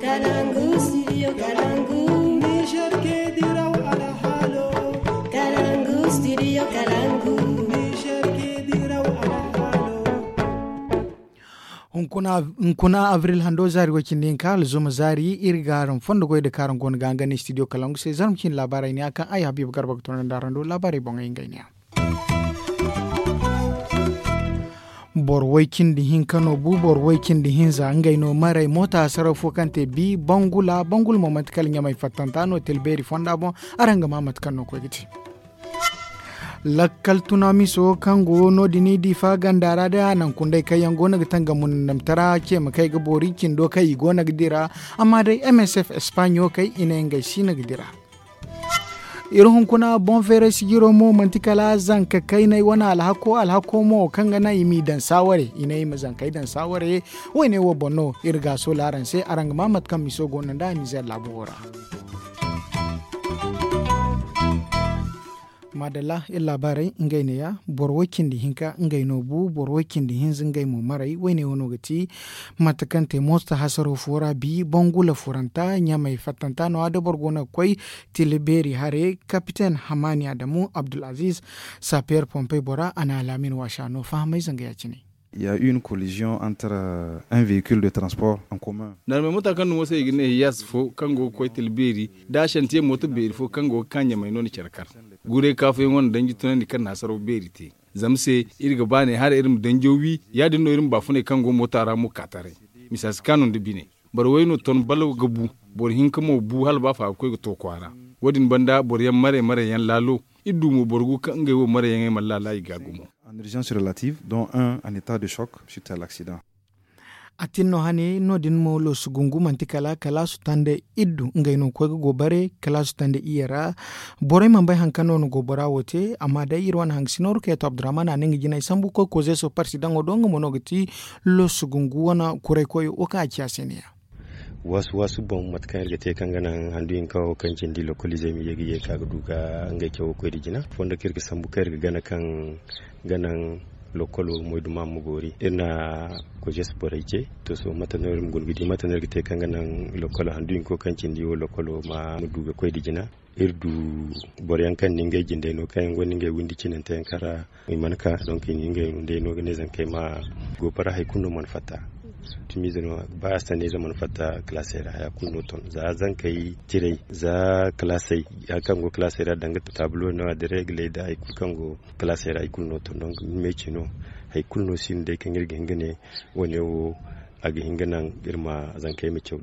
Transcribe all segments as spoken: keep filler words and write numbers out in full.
Kalangu, studio Kalangu. Niger ke diraw alhalo. Kalangu, studio Kalangu. Niger ke diraw alhalo. Hunkuna abril hando zaari way cindi hinka alzuma zaari iri ga araŋ fondo goy da kaaraŋ go no ga hangandi studio Kalangu se zarma cindi laabaarey ne a kaŋ ay habiiba garba ga toonandi araŋ do laabaarey boŋey ngey ne ya. Boro way cindi hinka no bu boro way cindi hinza ngey no maray moota hasaraw fo kaŋ te bi bangula bangula mo manti kala ɲamay fattanta no tilbeeri fonda boŋ. Araŋ ga ma mate kaŋ no koy ga te. Lakkal tunamiso kaŋ go no- din i diifa ganda ra day a naŋ kundey kaŋ yaŋ go no ga tangam mundamtara ce ma kay ga boori cindo kaŋ i go no ga dira. Amma day msf espaɲo kay i ne ngey si no ga dira. Iri hunkuna boŋ feeray sijiro mo manti kala zanka kaynay wane alhako alhako mo kaŋ ga naŋ i m'i daŋ saaware i ne i ma zankey daŋ saaware. Wayne wo boŋ no iri ga a soola araŋ se araŋ ga ma mate kaŋ miso go no nd'a nizer laabu wo ra. Maadalla iri laabaarey ngey neeya boro way cindi hinka ngey no bu boro way cindi hinza ngey mo maray wayne wo no ga ti. Mate kaŋ te moosta hasaro fo ra bi bangula furanta ɲamey fattanta no a da boro go no ga koy tila beeri hare kapiten hamani adamu abdulaziz sapeer pompey bora a na alaamin waasa no fahamay zanga ya- cine. Il y a eu une collision entre un véhicule de transport en commun. Narmey mota kaŋ no mo se i ga ne hiyas fo kaŋ go ga koy tila beeri da a shantiye mooto beeri fo kaŋ go ga ka ɲamey no na care kar. Guuray kaafuyaŋo na danji tunandi kaŋ na hasaraw beeri te. Zama se iri ga ba ne hala iri ma danjo wi ya- din no iri ma baafuney kaŋ go moota ra mo ka taray. Misa si kaanu nda bine. Boro way no ton balo ga bu. Boro hinka mo bu hala ba fa ga koy ga to kwaara. Wo- din banda boro yaŋ maray maray yaŋ laalo. Iri du mo boro gu kaŋ ngey wo maray yaŋey mana laala i ga gumo. En urgence relative dont un en état de choc suite à l'accident. A tin no hane no- din mo loosu gungu manti kala kalaasu tande iddu ngey no ga koy ga go bare kalaasu tande iyye ra. Borey mana bay hari kaŋ no na go bora wo te amma day iri wane hangasino rukeeto abdurrahman a ne nga jinay sambu koy koze so parsi daŋo do nga mo no ga ti loosu gungu wane kuray koyo wo kaŋ a ci a se ne ya. Waasu waasu boŋ mate kaŋ iri ga te kaŋ ga naŋ handu hinka wo kaŋ cindi lokoliizey ma ye ga ye ka ga du ga ngey cawo koy nda jina fondo kaŋ iri ga sambu kaŋ iri ga gana kaŋ ga naŋ lokolo moyduma ma boori iri na kojes borey ce. To sohõ mate no iri ma guna ga di mate no iri ga te kaŋ ga naŋ lokolo handu hinko kaŋ cindi wo lokolo ma du ga koy nda jina. Iri du boro yaŋ kaŋ na ngey jindey no kaŋ yaŋ gonda ngey windi cinante yaŋ kaŋ ra i mana ka donk i na ngey windey no ga ne zankey ma go bara hari kulu no mana fatta. Timiize no ba a saniize mana fatta kalaasey ra haya kulu no ton za zankey tirey za kalaasey hari kaŋ go kalaasey ra danga taablo no a da reegaley nda hari kulu kaŋ go kalaasey ra i kulu no ton donk meeci no. Hari kulu no si no day kaŋ iri ga hin ga ne wane wo a ga hin ga naŋ iri ma zankey ma caw.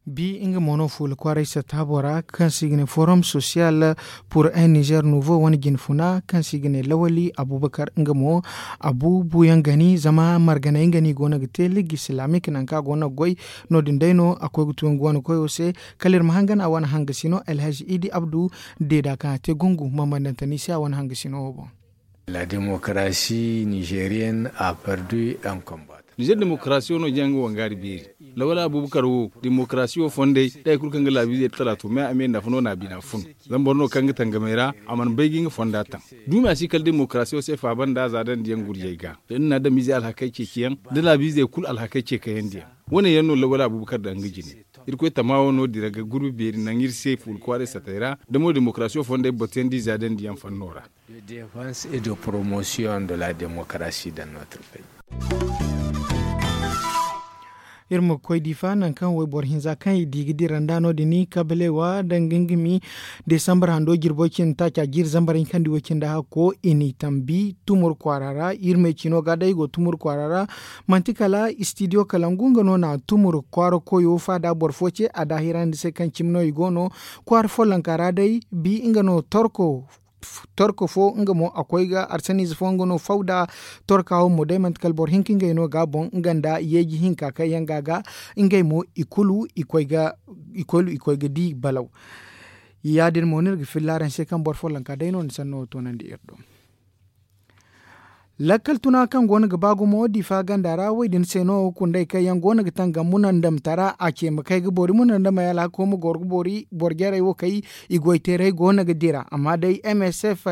Bi nga mo no fuula kwaaray satta bora kaŋ se i ga ne forum social pour un niger nouveau wane jine funa kaŋ se i ga ne lawali abubakar nga mo a bu buuyaŋ gani zama marganey nga no i go no ga te ligue islamique nangu kaŋ a go no ga goy. No- din day no a koy ga tu nga wane koyo se kala iri ma hangan a wane hangasino alhaji idi abdu deeda kaŋ a te gungu mambandante ni se a wane hangasino wo boŋ. La démocratie nigérienne a perdu un combat. Nizer demokarasiyo no jaŋ ga wangaari beeri. Lawal abubakar wo demokarasiyo fondey da hari kulu kaŋ ga laabiizey talaatu me a me nafa no na a bina fun. Zama boro no kaŋ ga tangamey ra a mana bay ga nga fonda taŋ. Duumi a si kala demokarasiyo se faaba nda a za dandi yaŋ gurjey ga da ni na adamiizey alhakey ceeciyaŋ da laabiizey kulu alhakey ceekayandi yaŋ. Wo- ne yaŋ no lawal abubakar daŋ nga jine. Irkoy tama wo no- din ra ga gurbi beeri naŋ iri se fuula kwaaray satey ra da mo demokarasiyo fondey batuyandi za dandi yaŋ fanno ra. De défense et de promotion de la démocratie dans notre pays. Iri ma koy difa nangu kaŋ wayboro hinza kaŋ i di ga dira nda no- din kabalewa danga nga mi desambar hando jirbo cindi taaca jiiri zambar hinkandi way cindi hakko i n'i tambi tumur kwaara ra. Iri me cino ga day i go tumur kwaara ra. Manti kala istidiyo kalangu nga no na tumur kwaara koyo faada boro fo ce a daahirandi se kaŋ cimi no i go no kwaara follonka ra day bi nga no torko. Torko fo nga mo a koy ga arsaniize fo nga no faw da torka wo mo day manti kala boro hinka ngey no ga boŋ nga nda yeeji hinka kaŋ yaŋ ga ga ngey mo i kulu i koy ga di balaw. Ya- din mo no iri ga filla araŋ se kaŋ boro follonka day no ni sanno wo toonandi iri do. Lakkal tuna kaŋ go no ga ba gumo difa ganda ra wo- din se no kundey kaŋ yaŋ go no ga tangam munandamtara a ce ma kay ga boori munandamey alhako ma goro ga boori boro jarey wo kay. I goyteerey go no ga dira amma day m s f,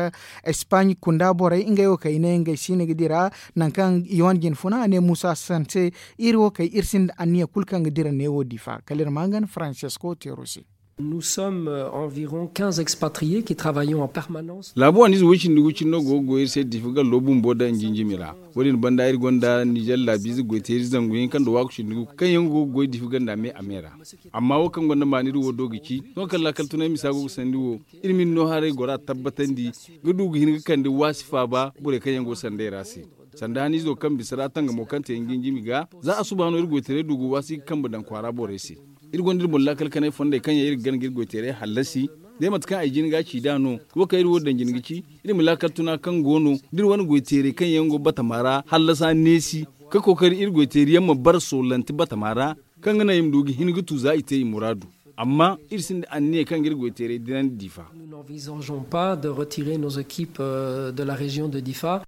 espaaɲ kunda borey ngey wo kay i ne ngey si no ga dira. Nangu kaŋ i wane jinfuna a ne muusa sanse, iri wo kay iri sinda anniya kulu kaŋ ga dira neewo difa kala iri ma hangan francisco teero se. Nous sommes environ quinze expatriés qui travaillons en permanence. Laabu wane ize woy cindi gu cindi no go ga goy iri se difa gallo bumbo da njinjimi ra. Wo- din banda iri gonda nizer laabiize goyteeri zangu hinka nda waaku cindi gu kaŋ yaŋ go ga goy difa ganda me a me ra. Amma wo kaŋ gonda maani iri wo do ga ci sohõ kaŋ laakal tunay misa go ga sandi wo, iri ma iri no haray gora tabbatandi ga du ga hin ga kande waasi faaba borey kaŋ yaŋ go ga sandey ra se. Sanda haniizo kaŋ bisa ra tangamo kaŋ te njinjimi ga za a suba no iri goytaray du ga waasi ga kambe daŋ kwaara borey se. Iri gonda iri boŋ laakal kanay fondey kaŋ yaŋ iri ga gana ga iri goyteeray hallasi. Day mate kaŋ ay jin ga a ci nd'a no, wo kaŋ iri wo daŋ jina ga ci iri ma laakal tuna kaŋ go no da iri wane goyteeray kaŋ yaŋ go batama ra hallasa neesi, ka kookari iri goyteeri yaŋ ma bara soolante batama ra, kaŋ ga naŋ i ma du ga hin ga tu za i te i muraadu. Amma iri sinda anniya kaŋ ga iri goyteeray dinandi difa. Nous n'envisageons pas de retirer nos équipes de la région de difa.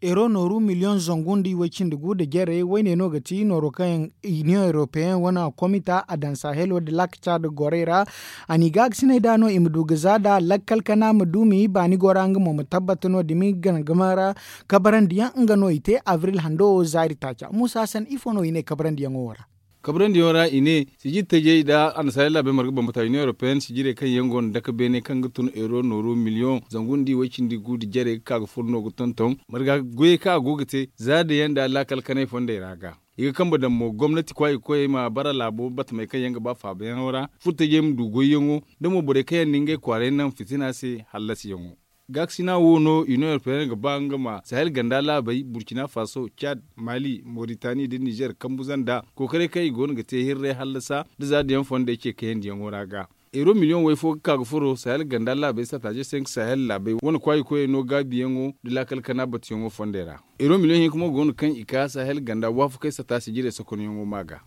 Euro nooru miliyoŋ zangu nda iway cindi gu nda jarey wayne no ga ti nooro kaŋ yaŋ iniyoŋ europeen wane komita a daŋ sahelo nda laakaca nda gorey ra. A n'i gaakasinay nd'a no i ma du ga za nd'a lakkal kana ma duumi baani gora nga mo ma tabbata no- din ma i gana gama ra. Kabarandiyaŋ nga no i te abril hando wo zaari taaca muusa san ifo no i ne kabarandiyaŋo wo ra? Kabarandiyaŋo ra i ne sijir tajey nda annasaarey laabey marga bambata iniyoŋ europeen sijirey kaŋ yaŋ go no dake beene kaŋ ga tun euro nooru miliyoŋ zangu nda iway cindi gu nda jarey ga ka ga furo no ga tonton marga goyey kaŋ a go ga te zaada yaŋ nda laakal kanay fondey ra ga. I ga kambe daŋ mo gomnati kwaayi ga koyey ma bara laabo batamey kaŋ yaŋ ga ba faabayaŋo ra furtajey ma du goyyaŋo, da mo borey kaŋ yaŋ na ngey kwaaray naŋ fitina se hallasiyaŋo. Gaakasina wo no iniyoŋ europeen ga ba nga ma sahel ganda laabey burkina faso cad, mali moritani nda nizer kambu zanda kookaray kaŋ i go no ga te hirray hallasa nda zaada yaŋ fondey ce kayandiyaŋo ra ga. Euro miliyoŋ way fo ga ka ga furo sahel ganda laabey sataaje se nga sahel laabey wane kwaayi koyey no gaabiyaŋo nda laakal kana batuyaŋo fondey ra. Euro miliyoŋ hinka mo go no kaŋ i ka sahel ganda waafakey sata sijirey sokonyaŋo ma ga.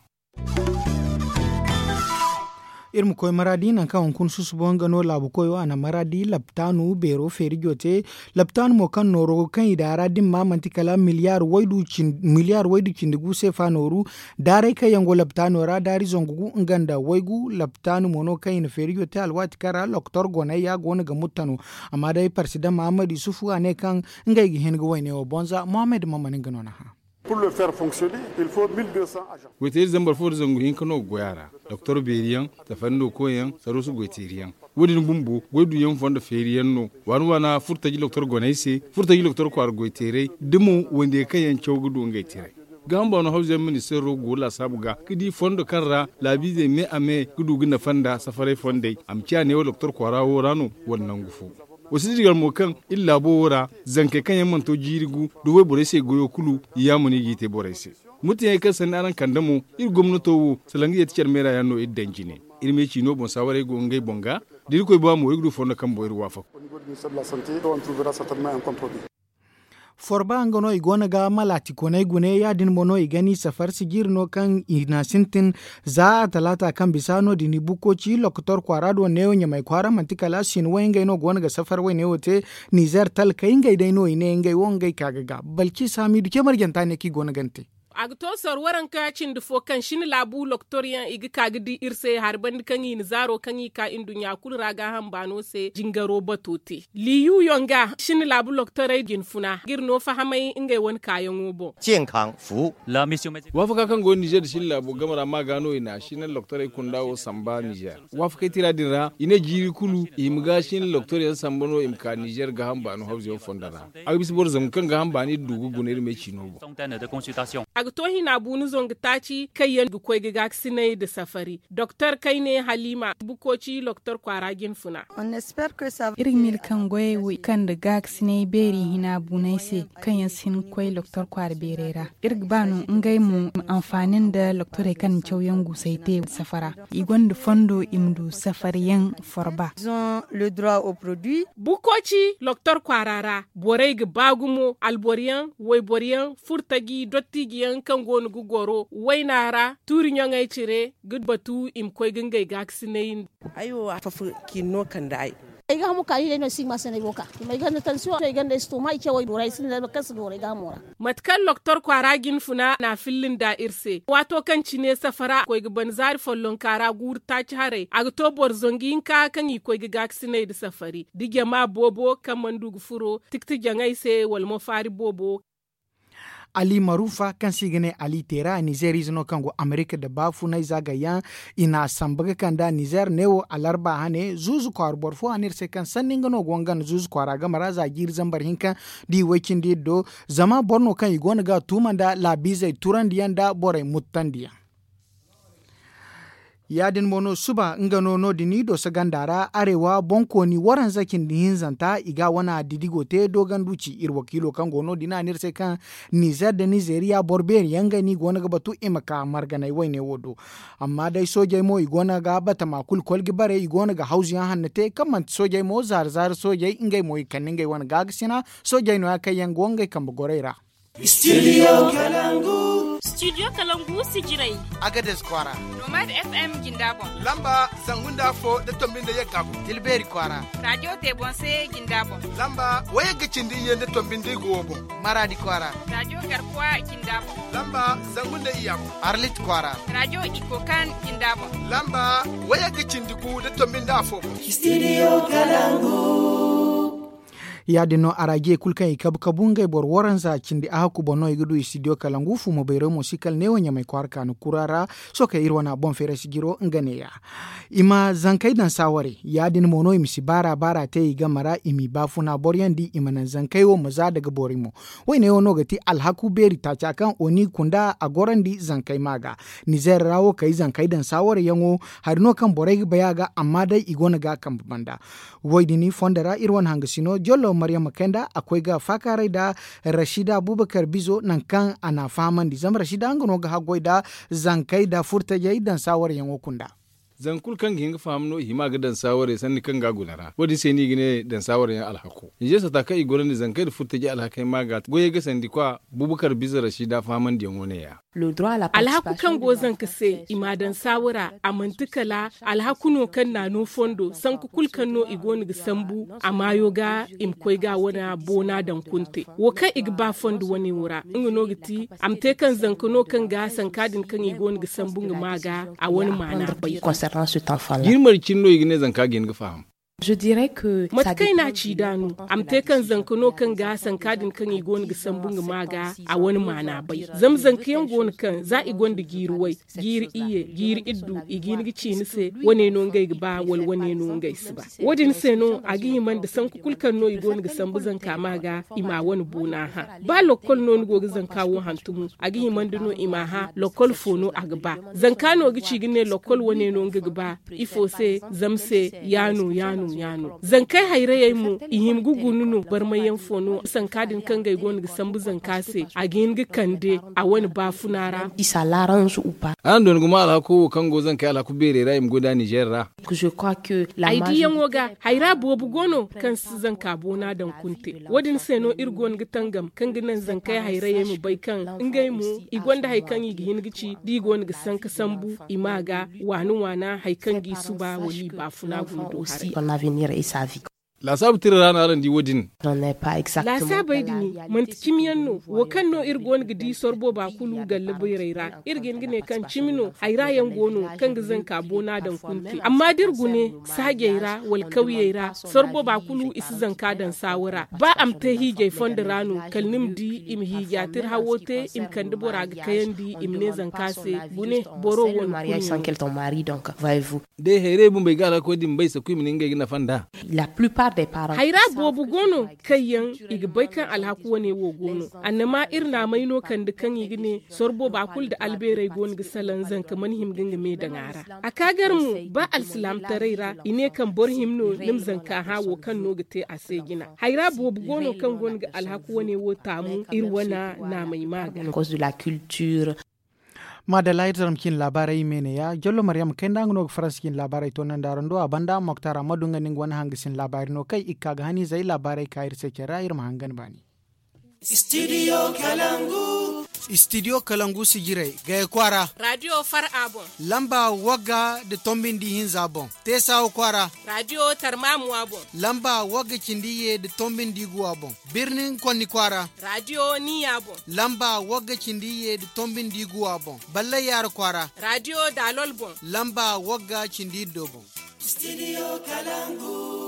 Iri ma koy maraadi nangu kaŋ hunkuna susubo nga no laabu koyo a na maraadi laptaanu beero feerijo te. Laptaanu mo kaŋ nooro kaŋ i daŋ a ra din ma manti kala miliyaar waydu cindi gu seefa nooru. Daaray kaŋ yaŋ go laptaano ra daari zangu gu nga nda waygu laptaanu mo no kaŋ i na feerijo te alwaati kaŋ ra loktor gonay ya go no ga mutta no. Amma day parsidan mahammad yusufu a ne kaŋ ngey ga hin ga wayne wo boŋ za mohammed maman nga no na hã. Goyteeri zambar fo nda zangu hinka no ga goy a ra. Doktor beeri yaŋ, safari no koy yaŋ, saruusu goyteeri yaŋ. Wo- din bumbo goy duyaŋ fondo feeri yaŋ no. Waana waana furtaji doktor goney se furtaji doktor kwaara goyteerey da mo wande kaŋ yaŋ caw ga du ngey tiray. Gaaham baano hawzu yaŋ ministeero go laasaabu ga ga di fondo kaŋ ra laabiizey me a me ga du ga nafa nda safaray fondey a ma ciya neewo doktor kwaara wo ra no wala nangu fo. Wa si dirgal mo kaŋ iri laabo wo ra zankey kaŋ yaŋ mana to jiiri gu da wayborey se goyo kulu. Yaamano i g'i te borey se. Murtaɲey kaŋ sanni araŋ kande mo iri gomnato wo salaŋ ga yeeti care meera yaŋ no iri daŋ jine. Iri me ciino boŋ saawarey go ngey boŋ ga da irkoy ba mo iri ga du fondo kaŋ boŋ iri waafak. Forba nga no i go no ga malaati koney gune ya- din mo no i ga ni safar sijiri no kaŋ i na sintin. Za a talaata kaŋ bisa no- din i bukkoci lokotor kwaara do neewo ɲamay kwaara manti kala sinway ngey no go no ga safar wayne wo te. Nizer talkey ngey day no i ne ngey wo ngey ka ga ga balki saamiidu ce marjanta ne kaŋ i go no ga ni te. A ga to sar waranka cindi fo kaŋ sina laabu loktoryaŋ i ga ka ga di iri se hari banda kaŋ i na zaaro kaŋ i ka nduɲɲa kulu ra gaaham baano se jingaro bato te liyu yaŋ ga sina laabu loktorey jinfuna ga iri no fahamay ngey wane kaayaŋo boŋ. Waafaka kaŋ go nizer da sina laabo game ra ma ga no i na sina loktorey kunda wo samba nizer. Waafakey tira din ra i ne jiiri kulu i ma ga sina loktoryaŋ samba no i ma ka nizer gaaham baano hawzuyaŋ fondo ra. A ga bisa boro zangu kaŋ gaaham baani iri du ga guna iri me ciino boŋ. A ga to hina buunu zangu taaci kaŋ yaŋ ga koy ga gaakasinay nda safari doktor kayne halima bukkoci loktor kwaara jinfuna. Iri ga miila kaŋ goyey wo i kande gaakasinay beeri hina buunay se kaŋ yaŋ si hin ga koy loktor kwaara beerey ra. Iri ga ba no ngey mo ma anfaani nda loktorey kaŋ na cawyaŋ guusey te safara. I gonda fondo i ma du safariyaŋ forba. Bukkoci loktor kwaara ra borey ga ba gumo alboroyaŋ wayboryaŋ furtaji dottijiyaŋ kaŋ go no ga goro wayna ra tuuri ɲaŋey cire ga batu i ma koy ga ngey gaakasinay. Ay wo a fafa kiino kande ay. Ay ga hamu ka i day no si ma se no ay go ka i ma ay ganda tansiyo ay ganda ay si to ma i ce wo ay doora ay sinda ay ma kaŋ si doora ay ga hamo ra. Mate kaŋ loktor kwaara jin funa na a filla nda iri se waato kaŋ cine safara koy ga ban zaari follonka ra guuru taaci haray a ga to boro zangu hinka kaŋ i koy ga gaakasinay nda safari da jama boobo kaŋ mana du ga furo tikti jaŋay se wala mo faari boobo. Ali marufa kaŋ se i ga ne ali teera nizeer ize no kaŋ go amerika nda baafunay zaagayyaŋ i n'a samba ga kand'a nizeer neewo alarba hane zuuzu kwaara boro fo a ne iri se kaŋ sanni nga no go nga nda zuuzu kwaara game ra za jiiri zambar hinka nda i way cindi iri do. Zama boro no kaŋ i go no ga a tuuma nda laabiizey turandiyaŋ nda borey muttandiyaŋ. Ya- din mo no suba nga no no- din i dooso ganda ra arewa boŋkooni waranza cindi hinzanta i ga a wane didigo te dooganduci iri wakiilo kaŋ go no- din a ne iri se kaŋ nizeer nda nizeeriya boro beeri yaŋ ngey no i go no ga batu i ma ka marganay wayne wo do. Amma day soojey mo i go no ga batama kulu kolji bare i go no ga hawzu yaŋ hanno te kaŋ manti soojey mo zaari zaari soojey ngey mo i kande ngey wane gaakasina. Soojey no- ya kaŋ yaŋ go ngey kambe gorey ra. Studio kalangu. Studio kalangu sijirey. Agades kwaara. Nomad f m jinda boŋ. Lamba zangu nda afo nda tombi nda yagga boŋ. Tilbeeri kwaara. Radio tebonse jinda boŋ. Lamba wayagga cindi iyye nda tombi nda igo wo boŋ. Maradi kwaara. Radio garkuwa jinda boŋ. Lamba zangu nda iyya boŋ. Arlit kwaara. Radio ikokan jinda boŋ. Lamba wayagga cindi gu nda tombi nda afo boŋ. Studio kalangu. Ya- din no arajiye kulu kaŋ i kabu kabu ngey boro waranza cindi a hakku boŋ no i ga du i studio kalangu fumo bayray mo si kala neewo ɲamay kwaara kaanu kura ra. Sohõ kaŋ iri wane a boŋ feeray si jiro nga neeya i ma zankey daŋ saaware ya- din mo no i ma si baara baara te i game ra i m'i baafuna boro yaŋ di i ma naŋ zankey wo ma za daga boori mo. Woyne wo no ga ti alhaku beeri taaca kaŋ oni kunda a gorandi zankey ma ga. Nizeer ra wo kay zankey daŋ saaware yaŋo hari no kaŋ borey ga bay a ga amma day i go no ga a kambe banda. Wo- din fondo ra iri wane hangasino jollo maryama kay nda a koy ga faakaaray nda rashida abubakar bizo nangu kaŋ a n'a fahamandi zama rashida nga no ga haggoy nda zankey nda furtajey daŋ saawaryaŋo kunda. Zangu kulu kaŋ ga hin ga faham no i hima ga daŋ saawarey sanni kaŋ ga a guna ra wo- din se no i ga ne daŋ saawaryaŋ alhako. Nizeer sata kaŋ i gorandi zankey nda furtajey alhakey ma ga goyey ga sandi kwa abubakar bizo rashida fahamandiyaŋo ne- ya. Alhaku kaŋ go zanka se i m'a daŋ saawara a manti kala alhaku no kaŋ naano fondo sanku kulu kaŋ no i go no ga sambu a maayo ga i ma koy ga a wane boona daŋ kunte. Wo kaŋ i ga ba fondo wane wo ra nga no ga ti a ma te kaŋ zanka no kaŋ ga sanka din kaŋ i go no ga sambu nga maa ga a wane maana bay. Jirmari cine no i ga ne zanka ga hin ga faham. Mate kaŋ ay n'a ci nd'a no a ma te kaŋ zanka no kaŋ ga sanka din kaŋ i go no ga sambu nga maa ga a wane maana bay. Zama zanka yaŋ go no kaŋ za i gonda jiiri way jiiri iyye jiiri iddu i ga hin ga ci ni se wane no ngey ga ba wala wane no ngey si ba. Wo- din se no a ga hima nda sanku kulu kaŋ no i go no ga sambu zanka maa ga i m'a wane boona hã. Ba lokkol no ni go ga zanka wo hantumo a ga hima nda no i m'a hã lokkol fo no a ga ba. Zanka no ga ci ga ne lokkol wane no nga ga ba. Ifo se zama se ya no ya no ya no zankey hayrayey mo i hima ga guna no barmayyaŋ fo no sanka din kaŋ ngey go no ga sambu zanka se a ga hin ga kande a wane baafuna ra. Araŋ doona gumo alhako wo kaŋ go zankey alhaku beerey ra i ma goy nd'a nizeer ra. Ay diyaŋo ga hayra boobo go no kaŋ si zanka boona daŋ kunte. Wo- din se no iri go no ga tangam kaŋ ga naŋ zankey hayrayey ma bay kaŋ ngey mo i gonda hari kaŋ i ga hin ga ci da i go no ga sanka sambu i maa ga waana waana hari kaŋ g'i suba wala i baafuna guna do haray. Laasaabu tira ra no araŋ di wo- din. Laasaabey din manti cimiyaŋ no wo kaŋ no iri go no ga di sorbo ba kulu galla bayrey ra iri ga hin ga ne kaŋ cimi no hayra yaŋ go no kaŋ ga zanka boona daŋ kunte amma da iri gune saajey ra wala kawyey ra sorbo ba kulu i si zanka daŋ saawara ba a ma te hiijay fondo ra no kala ni ma di i ma hiija tira hawo te i ma kande bora ga kayandi i ma ne zanka se gune boro wo no kulu no. Day hayrey bumbey ga alhako din bay sakuy ma ne ngey ga nafa nd'a. Hayra boobo go no kaŋ yaŋ i ga bay kaŋ alhaku wane wo go no. Annama iri naamay no kande kaŋ i ga ne sorbo ba kulu nda albeerey go no ga salaŋ zanka mana hima ga nga me daŋ a ra. A ka gar mo ba alsilaamataray ra i ne kaŋ boro hima no ni ma zanka hã wo kaŋ no ga te a se jina. Hayra boobo go no kaŋ go no ga alhaku wane wo taamu iri wane naamay ma ga. Maadalla iri zarma cine laabaarey i me ne ya jallo maryama kay nda nga no ga faransa cine laabaarey toonandi araŋ do a banda moktar ammadu nga no nga wane hangasin laabaari no kay i ga ka ga haniizey laabaarey ka iri se care ra iri ma hangan baani. Studio kalangu. Istidiyo kalangu sijirey gaya kwaara. Raadiyo far'a boŋ. Lamba wagga da tombindi hinza boŋ. Teesawa kwaara. Raadiyo tarmamuwa boŋ. Lamba wagga cindi ye da tombindi guwa boŋ. Birnin konni kwaara. Raadiyo niya boŋ. Lamba wagga cindi ye da tombindi guwa boŋ. Ballay yaara kwaara. Raadiyo daalol boŋ. Lamba wagga cindi iddo boŋ. Studio Kalangu.